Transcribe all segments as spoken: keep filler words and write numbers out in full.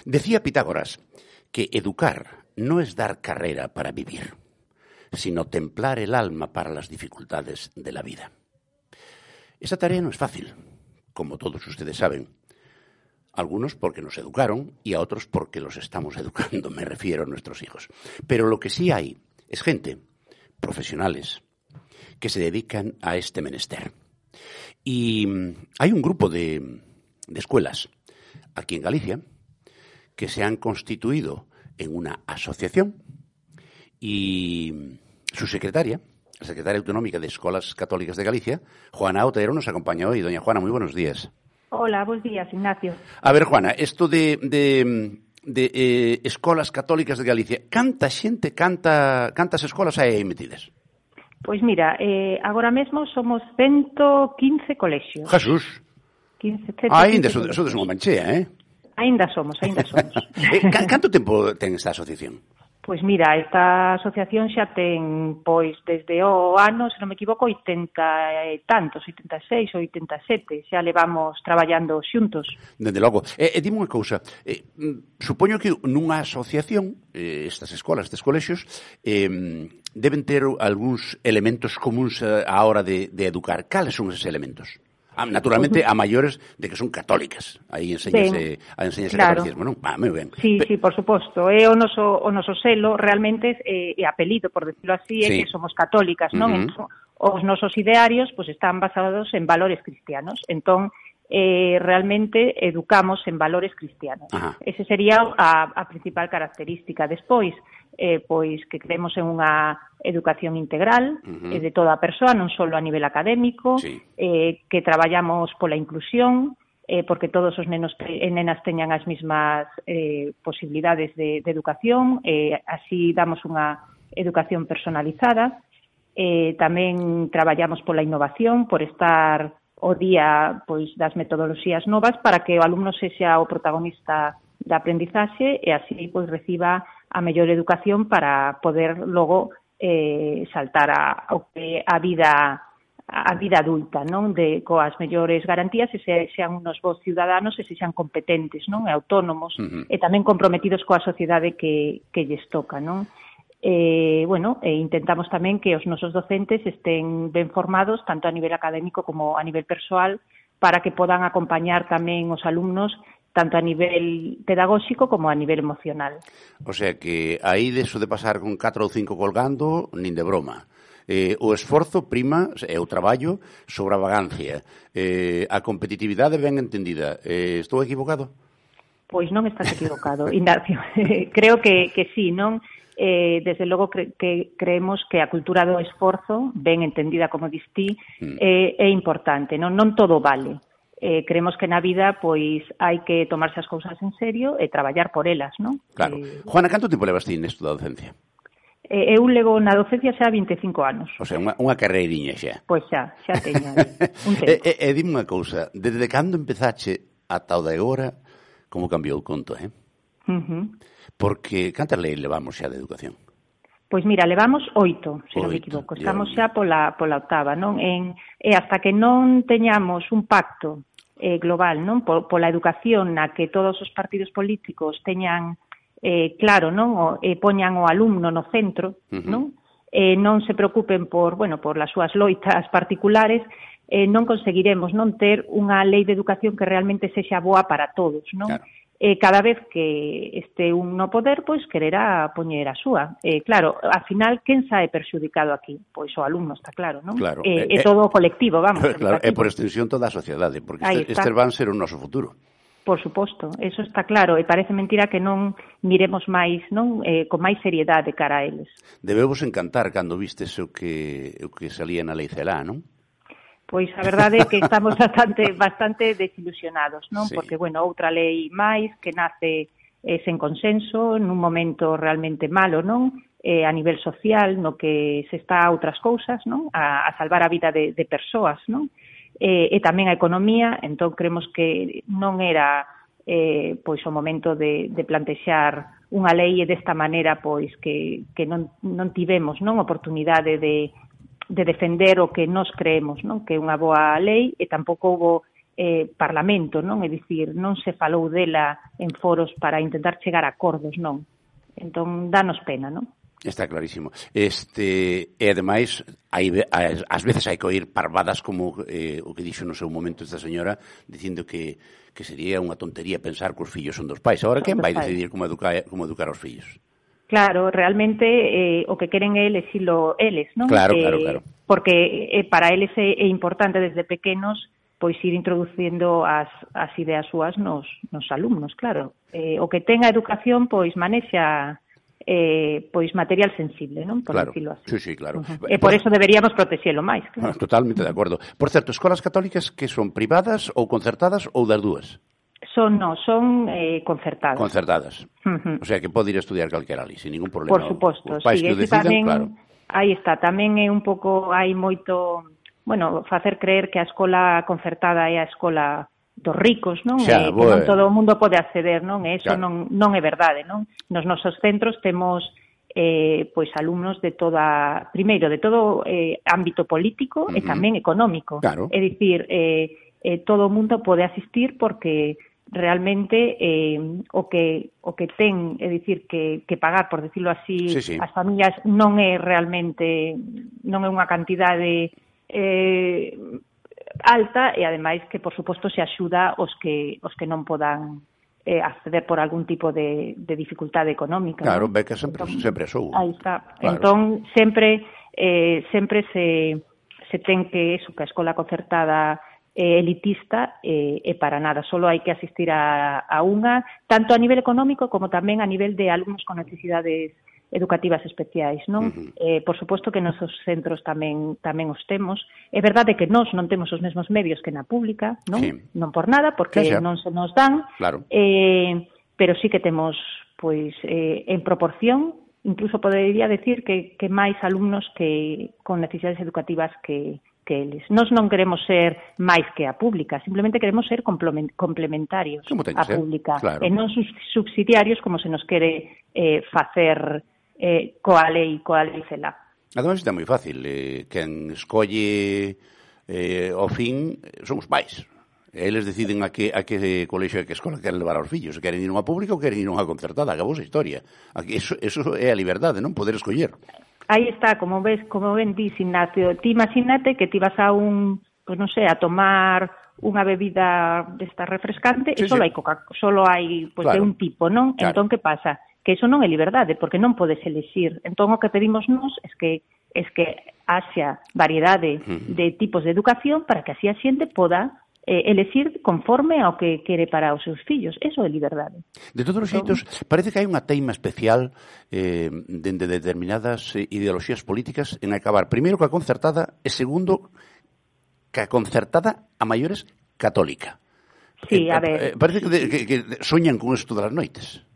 Decía Pitágoras que educar no es dar carrera para vivir, sino templar el alma para las dificultades de la vida. Esa tarea no es fácil, como todos ustedes saben. Algunos porque nos educaron y a otros porque los estamos educando, me refiero a nuestros hijos. Pero lo que sí hay es gente, profesionales, que se dedican a este menester. Y hay un grupo de, de escuelas aquí en Galicia que se han constituido en una asociación y su secretaria, la secretaria autonómica de Escolas Católicas de Galicia, Juana Otero, nos acompaña hoy. Doña Juana, muy buenos días. Hola, buenos días, Ignacio. A ver, Juana, esto de, de, de eh, Escolas Católicas de Galicia, canta xente, canta, cantas escolas aí metidas? Pois mira, eh, agora mesmo somos ciento quince colexios. Jesús. quince, ah, ainda sodes so unha manchea, eh? Ainda somos, ainda somos. eh, canto tempo ten esta asociación? Pois mira, esta asociación xa ten, pois, desde o ano, se non me equivoco, oitenta e tantos, oitenta e seis, oitenta e sete, xa levamos traballando xuntos. Dende logo. E, e dime unha cousa, eh, supoño que nunha asociación, eh, estas escolas, estes colexios, eh, deben ter algúns elementos comuns á hora de, de educar. Cales son eses elementos? Ah, naturalmente, a maiores de que son católicas. Aí enseñase, a enseñase claro. Catecismo, non? Ah, moi ben. Sí, Pe... sí, por suposto. É o noso, o noso selo, realmente, é, é apelido, por decirlo así, é sí. que somos católicas, non? Uh-huh. Entón, os nosos idearios, pues, están basados en valores cristianos. Entón, eh, realmente, educamos en valores cristianos. Uh-huh. Ese sería a, a principal característica. Despois, eh, pois, que creemos en unha educación integral uh-huh. eh, de toda a persoa, non só a nivel académico, sí. eh, que traballamos pola inclusión, eh, porque todos os nenos e nenas teñan as mesmas eh, posibilidades de, de educación, eh, así damos unha educación personalizada, eh, tamén traballamos pola innovación, por estar o día pois das metodoloxías novas para que o alumno sexa o protagonista da aprendizaxe e así pois reciba a mellor educación para poder logo eh, saltar a, a vida a vida adulta, non? De coas mellores garantías e se, sean unos bons ciudadanos e se sean competentes, non? E autónomos uh-huh. e tamén comprometidos coa sociedade que, que lles toca, non? Eh, bueno, e intentamos tamén que os nosos docentes estén ben formados tanto a nivel académico como a nivel persoal para que podan acompañar tamén os alumnos tanto a nivel pedagóxico como a nivel emocional. O sea que aí deso de pasar con catro ou cinco colgando, nin de broma. Eh, o esforzo prima é o traballo sobre a vagancia. Eh, a competitividade ben entendida. Eh, estou equivocado? Pois non estás equivocado, Ignacio. Creo que, que sí, non? Eh, desde logo cre que creemos que a cultura do esforzo, ben entendida como distí, mm. eh, é importante. Non, non todo vale. Eh, creemos que na vida pois hai que tomarse as cousas en serio e traballar por elas, non? Claro. Eh, Juana, canto tempo levas ti nesto da docencia? Eh, eu levo na docencia xa vinte e cinco anos. O sea, unha, unha carreiriña xa. Pois xa, xa teño un tempo. E, e, e dime unha cousa, desde cando empezache ata o de agora, como cambiou o conto, eh? Uh-huh. Porque cantas leis levamos xa de educación? Pois mira, levamos oito, se non me equivoco. Estamos xa pola, pola octava, non? En, e hasta que non teñamos un pacto eh, global, non? Por, pola educación na que todos os partidos políticos teñan eh, claro, non? O, eh, poñan o alumno no centro, uh-huh. non? Eh, non se preocupen por, bueno, por las súas loitas particulares, eh, non conseguiremos non ter unha lei de educación que realmente sexa boa para todos, non? Claro. Eh, cada vez que este un no poder, pois quererá poñer a súa. Eh, claro, ao final, quen sae perxudicado aquí? Pois o alumno, está claro, non? Claro. Eh, eh, é todo o colectivo, vamos. Claro, e por extensión toda a sociedade, porque este, este van ser o noso futuro. Por suposto, eso está claro, e parece mentira que non miremos máis, non, eh, con máis seriedade cara a eles. Debevos encantar cando vistes o que, o que salía na Lei Celá, non? Pois a verdade é que estamos bastante bastante desilusionados, non? Sí. Porque, bueno, outra lei máis que nace eh, sen consenso, nun momento realmente malo, non? Eh, a nivel social, no que se está a outras cousas, non? A, a salvar a vida de, de persoas, non? Eh, e tamén a economía, entón creemos que non era eh, pois o momento de, de plantexar unha lei e desta maneira pois que, que non, non tivemos non oportunidade de de defender o que nos creemos, non? Que é unha boa lei e tampouco houve eh, Parlamento, non? É dicir, non se falou dela en foros para intentar chegar a acordos, non? Entón, danos pena, non? Está clarísimo. Este, e, ademais, hai, ás veces hai que oír parvadas como eh, o que dixo no seu momento esta señora, dicindo que, que sería unha tontería pensar que os fillos son dos pais. Agora, quen vai decidir como educar, como educar os fillos? Claro, realmente eh, o que queren é exilo eles, non? Claro, eh, claro, claro. Porque eh, para eles é, é importante desde pequenos pois ir introducindo as, as ideas súas nos, nos alumnos, claro. Eh, o que ten a educación, pois manexa eh, pois material sensible, non? Por claro, decirlo así. Sí, sí, claro. Uh-huh. E por, por eso deberíamos protexelo máis. Claro. Totalmente de acordo. Por certo, escolas católicas que son privadas ou concertadas ou das dúas? Son, no, son eh, concertadas. Concertadas. Uh-huh. O sea, que pode ir a estudiar calquera ali, sin ningún problema. Por suposto, os pais sí, que o decidan, tamén, claro. Aí está, tamén é un pouco, hai moito, bueno, facer creer que a escola concertada é a escola dos ricos, non? Xa, e, bueno. Que non todo o mundo pode acceder, non? E iso claro. non, non é verdade, non? Nos nosos centros temos eh, pois alumnos de toda, primeiro, de todo eh, ámbito político uh-huh. e tamén económico. Claro. É dicir, eh, eh, todo o mundo pode asistir porque realmente eh, o que o que ten, é dicir, que, que pagar, por decirlo así, sí, sí. as familias non é realmente, non é unha cantidade eh, alta e, ademais, que, por suposto, se axuda os que os que non podan eh, acceder por algún tipo de, de dificultade económica. Claro, ¿no? beca sempre, entón, sempre sou. Aí está. Claro. Entón, sempre eh, sempre se, se ten que, eso, que a escola concertada eh, elitista e eh, para nada, solo hai que asistir a, a unha, tanto a nivel económico como tamén a nivel de alumnos con necesidades educativas especiais, non? Uh-huh. Eh, por suposto que nosos centros tamén tamén os temos. É verdade que nós non temos os mesmos medios que na pública, non? Sí. Non por nada, porque xa, xa. non se nos dan, claro. eh, pero sí que temos, pois, eh, en proporción, incluso podería decir que, que máis alumnos que con necesidades educativas que, que eles. Nós non queremos ser máis que a pública, simplemente queremos ser complementarios á pública, claro. e non subsidiarios como se nos quere eh, facer eh, coa lei, coa lei cela. Ademais, está moi fácil. Eh, quen escolle eh, ao fin son os pais. Eles deciden a que, a que colexio e que escola queren levar aos fillos. Se queren ir a unha pública ou queren ir a unha concertada. Acabou esa historia. Aquí, eso, eso é a liberdade, non? Poder escoller. Aí está, como ves, como ben dis, Ignacio. Ti imagínate que ti vas a un, pues non sei, a tomar unha bebida desta refrescante sí, e solo sí. hai coca, solo hai pues, claro. de un tipo, non? Claro. Entón, que pasa? Que iso non é liberdade, porque non podes elixir. Entón, o que pedimos nós é que es que haxa variedade uh-huh. de tipos de educación para que así a xente poda eh, elegir conforme ao que quere para os seus fillos. Eso é liberdade. De todos os xeitos, parece que hai unha teima especial eh, dende determinadas ideoloxías políticas en acabar, primeiro, coa concertada e, segundo, que a concertada a maiores católica. Sí, eh, a ver. Eh, parece que, de, que, que soñan con isto todas as noites.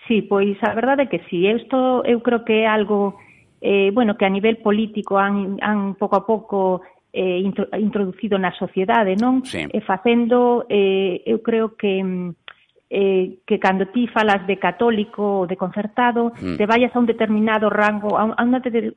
Sí, pois a verdade é que sí. Isto eu creo que é algo eh, bueno, que a nivel político han, han pouco a pouco eh, intro, introducido na sociedade, non? Sí. E facendo, eh, eu creo que eh, que cando ti falas de católico ou de concertado, mm. te vayas a un determinado rango, a un, a un de, de,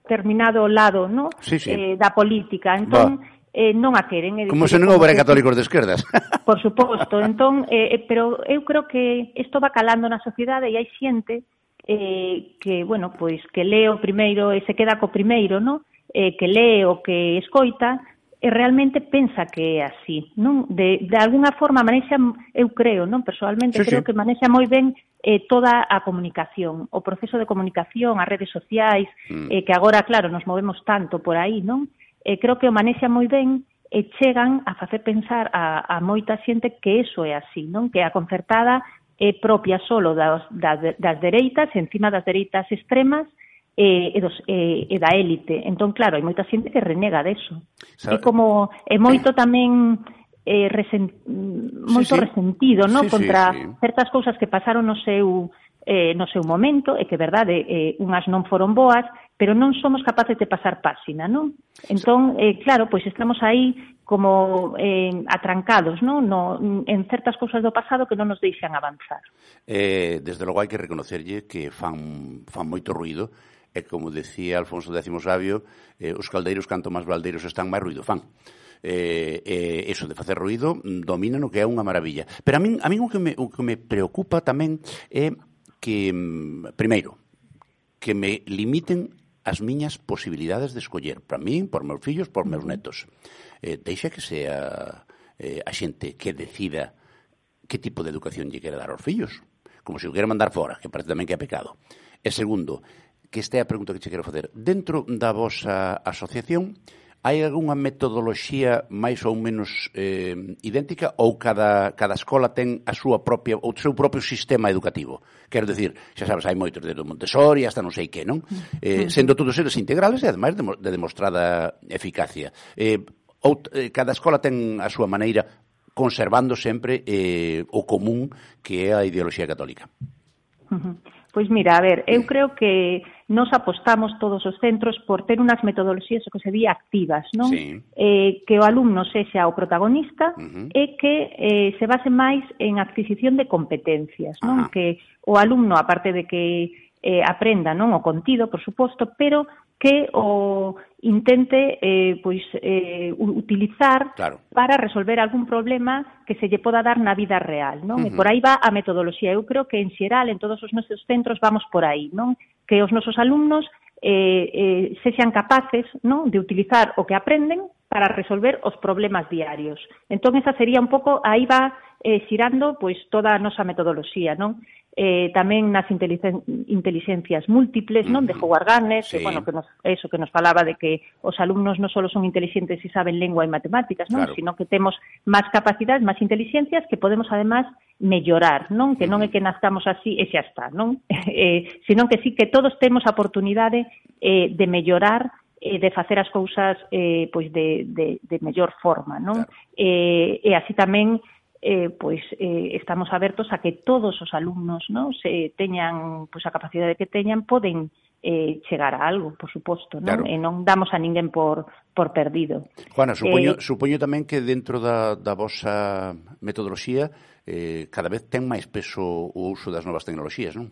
determinado lado, non? Sí, sí. Eh, da política. Entón, bah. Eh, non a queren. É como se non houbera católicos de esquerdas. Por suposto. Entón, eh, pero eu creo que isto va calando na sociedade e hai xente eh, que, bueno, pois que lee o primeiro e se queda co primeiro, non? Eh, que lee o que escoita e realmente pensa que é así, non? De, de alguna forma manexa, eu creo, non? Personalmente sí, creo sí. que manexa moi ben eh, toda a comunicación, o proceso de comunicación, as redes sociais, mm. eh, que agora, claro, nos movemos tanto por aí, non? Eh, creo que o manexa moi ben e chegan a facer pensar a, a moita xente que eso é así, non? Que a concertada é propia solo das, das, das dereitas, encima das dereitas extremas e, e, dos, e, e da élite. Entón, claro, hai moita xente que renega deso. É como, é moito tamén eh, resen, moito sí, sí. resentido, non? Sí, contra sí, sí. certas cousas que pasaron no seu eh, no seu momento, e que, verdade, eh, unhas non foron boas, pero non somos capaces de pasar páxina, non? Entón, eh, claro, pois estamos aí como eh, atrancados, non? No, en certas cousas do pasado que non nos deixan avanzar. Eh, desde logo hai que reconocerlle que fan, fan moito ruído, e como decía Alfonso X Sabio, eh, os caldeiros canto máis baldeiros están, máis ruído fan. eh, eh, eso de facer ruído domina no que é unha maravilla. Pero a min, a min o, que me, o que me preocupa tamén é que, primeiro, que me limiten as miñas posibilidades de escoller, para min, por meus fillos, por meus netos. Eh, deixa que sea eh, a xente que decida que tipo de educación lle quere dar aos fillos, como se o quere mandar fora, que parece tamén que é pecado. E segundo, que esta é a pregunta que che quero facer, dentro da vosa asociación, hai algunha metodoloxía máis ou menos eh, idéntica ou cada, cada escola ten a súa propia, o seu propio sistema educativo? Quero dicir, xa sabes, hai moitos desde Montessori hasta non sei que, non? Eh, sendo todos eles integrales e, ademais, de, de demostrada eficacia. Eh, ou, eh, cada escola ten a súa maneira conservando sempre eh, o común que é a ideoloxía católica. Uh-huh. Pois mira, a ver, eu creo que nos apostamos todos os centros por ter unhas metodoloxías o que se di activas, non? Sí. Eh, que o alumno sexa o protagonista Uh-huh. e que eh, se base máis en adquisición de competencias, non? Ajá. Que o alumno, aparte de que eh, aprenda, non, o contido, por suposto, pero que o intente eh, pois eh, utilizar Claro. para resolver algún problema que se lle poda dar na vida real, non? Uh-huh. E por aí va a metodoloxía. Eu creo que en xeral, en todos os nosos centros, vamos por aí, non? Que os nosos alumnos eh, eh, sexan capaces, non, de utilizar o que aprenden para resolver os problemas diarios. Entón, esa sería un pouco, aí va eh, xirando pois toda a nosa metodoloxía, non? Eh, tamén nas inteligen- inteligencias múltiples, non? De Howard Gardner, Sí. que, bueno, que nos, eso que nos falaba de que os alumnos non só son inteligentes e saben lengua e matemáticas, non? Claro. Sino que temos máis capacidades, máis inteligencias que podemos, además, mellorar, non? Que non é que nazcamos así e xa está, non? eh, sino que sí que todos temos a oportunidade eh, de mellorar, eh, de facer as cousas eh, pois de, de, de mellor forma, non? Claro. Eh, e así tamén eh, pois eh, estamos abertos a que todos os alumnos, non, se teñan pois a capacidade que teñan, poden eh, chegar a algo, por suposto, non? Claro. E non damos a ninguén por por perdido. Juana, supoño, Eh, supoño tamén que dentro da, da vosa metodoloxía eh, cada vez ten máis peso o uso das novas tecnoloxías, non?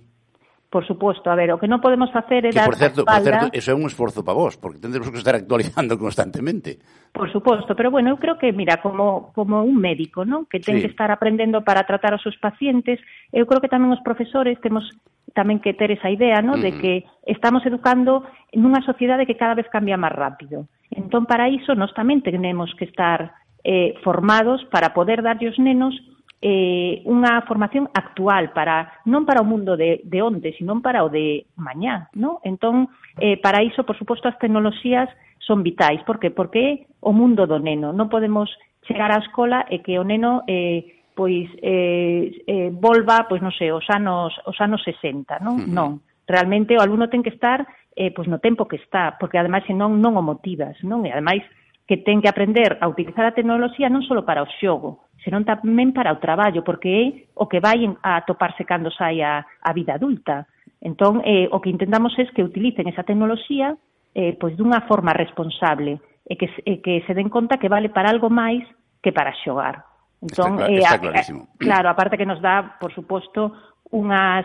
Por suposto, a ver, o que non podemos facer é Que, dar por certo, a por espalda... certo, eso é un esforzo para vos, porque tendremos que estar actualizando constantemente. Por suposto, pero bueno, eu creo que, mira, como, como un médico, non? Que ten Sí. que estar aprendendo para tratar os seus pacientes, eu creo que tamén os profesores temos tamén que ter esa idea, non? De Ujú. que estamos educando nunha sociedade que cada vez cambia máis rápido. Entón, para iso, nós tamén tenemos que estar eh, formados para poder darlle aos nenos eh, unha formación actual, para non para o mundo de, de onte, sino para o de mañá, non? Entón, eh, para iso, por suposto, as tecnoloxías son vitais. Por que? Porque é o mundo do neno. Non podemos chegar á escola e que o neno eh, pois eh, eh, volva, pois non sei, os anos os anos sesenta, non? Uh-huh. Non. Realmente o alumno ten que estar eh, pois no tempo que está, porque ademais senón non o motivas, non? E ademais que ten que aprender a utilizar a tecnoloxía non só para o xogo, senón tamén para o traballo, porque é o que vai a toparse cando sai a, a vida adulta. Entón, eh, o que intentamos é que utilicen esa tecnoloxía eh, pois dunha forma responsable e que, e que se den conta que vale para algo máis que para xogar. Entón, Está, cla- eh, está a, clarísimo. a, claro, aparte que nos dá, por suposto, unhas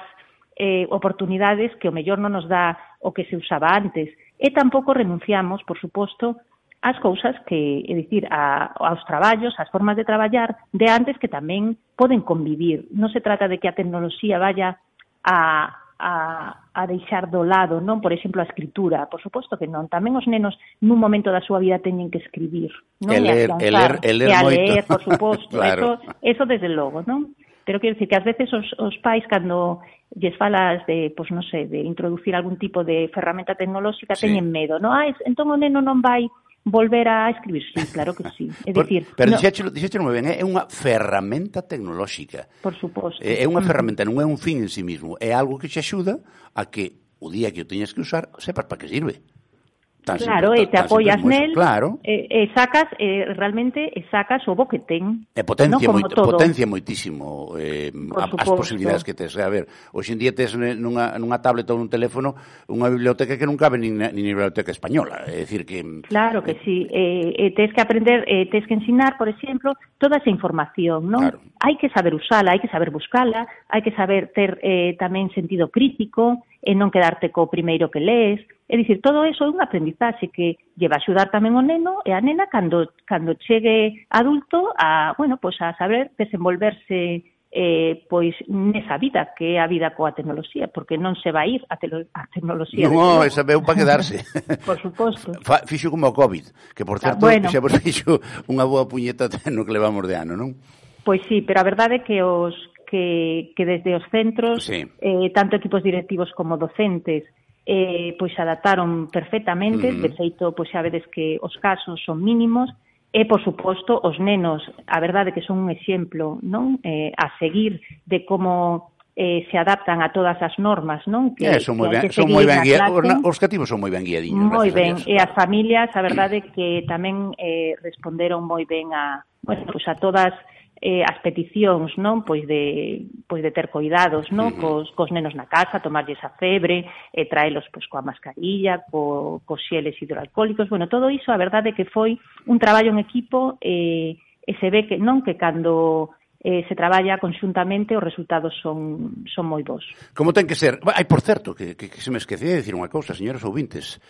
eh, oportunidades que o mellor non nos dá o que se usaba antes. E tampouco renunciamos, por suposto, ás cousas que, é dicir, a, aos traballos, ás formas de traballar de antes que tamén poden convivir. Non se trata de que a tecnoloxía vaya a, a, a deixar do lado, non? Por exemplo, a escritura. Por suposto que non. Tamén os nenos nun momento da súa vida teñen que escribir, non? E ler, e ler, e ler e a moito. ler, por suposto. Claro. Eso, eso desde logo, non? Pero quero dicir que ás veces os, os pais, cando lles falas de, pois non sei, de introducir algún tipo de ferramenta tecnolóxica, Sí. teñen medo, non? Ah, es, entón o neno non vai volver a escribir, sí, claro que sí. É Por, dicir, pero no, dixéchelo, dixéchelo moi ben, é unha ferramenta tecnolóxica. por suposto. É unha ferramenta, non é un fin en sí mismo, é algo que te axuda a que o día que o teñas que usar, sepas para que sirve. Tan Claro, simple, e te tan apoias simple como eso. nel, Claro. e, e sacas, e realmente e sacas o bo que ten. E potencia, non? Como moito, todo. potencia moitísimo eh, a, as suposto. posibilidades que tes. A ver, hoxe en día tes nunha, nunha tablet ou nun teléfono unha biblioteca que non cabe nin na, nin na biblioteca española. É dicir que... Claro que sí. Eh, eh, tens que aprender, eh, tens que ensinar, por exemplo, toda esa información, non? Claro. Hai que saber usala, hai que saber buscala, hai que saber ter eh, tamén sentido crítico, e non quedarte co primeiro que lees. É dicir, todo eso é un aprendizaxe que lleva a axudar tamén o neno e a nena cando, cando chegue adulto a, bueno, pues a saber desenvolverse eh, pois nesa vida, que é a vida coa tecnoloxía, porque non se vai ir a, telo, a tecnoloxía. Non, esa veu para quedarse. Por suposto. Fixo como o COVID, que por certo, ah, bueno, xa vos fixo unha boa puñeta no que levamos de ano, non? Pois sí, pero a verdade é que os que, que desde os centros, sí. eh, tanto equipos directivos como docentes, eh, pois se adaptaron perfectamente, uh-huh. De feito, pois xa vedes que os casos son mínimos. E, por suposto, os nenos, a verdade que son un exemplo, non, eh, a seguir de como eh, se adaptan a todas as normas, non? Que, eh, son moi ben, son moi ben guiados, os cativos son moi ben guiadiños. Moi ben, e as familias, a verdade que tamén eh, responderon moi ben a, bueno, pues a todas eh, as peticións, non, pois de pois de ter cuidados, non, uh-huh. cos cos nenos na casa, tomarlles a febre, e traelos pois coa mascarilla, co cos xeles hidroalcohólicos, bueno, todo iso a verdade que foi un traballo en equipo eh, e se ve que non que cando eh, se traballa conxuntamente os resultados son son moi bons. Como ten que ser? Ai, por certo, que, que, que se me esquecía de dicir unha cousa, señores ouvintes.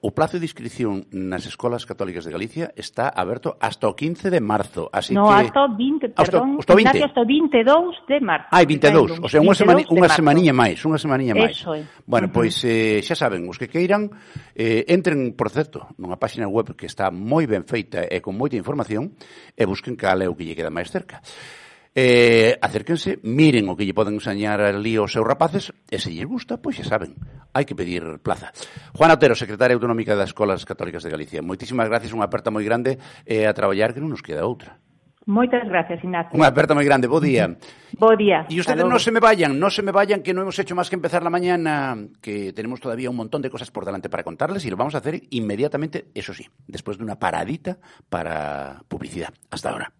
O plazo de inscripción nas escolas católicas de Galicia está aberto hasta o quince de marzo, así no, que... No, hasta o vinte, perdón, hasta o vinte. Hasta o vinte e dous de marzo. Ah, vinte e dous, o sea, unha, semani, unha semaniña máis, unha semaniña máis. Eso é. Bueno, uh-huh. Pois eh, xa saben, os que queiran, eh, entren, por certo, nunha página web que está moi ben feita e con moita información, e busquen cal é o que lle queda máis cerca. Eh, acérquense, miren o que lle poden enseñar ali aos seus rapaces e se lles gusta, pois xa saben, hai que pedir plaza. Juana Otero, secretaria autonómica das Escolas Católicas de Galicia, moitísimas gracias, unha aperta moi grande e a traballar que non nos queda outra. Moitas gracias, Ignacio. Unha aperta moi grande, bo día. Bo día. E ustedes non se me vayan, non se me vayan, que non hemos hecho máis que empezar la mañana, que tenemos todavía un montón de cosas por delante para contarles y lo vamos a hacer inmediatamente, eso sí, después de una paradita para publicidad. Hasta ahora.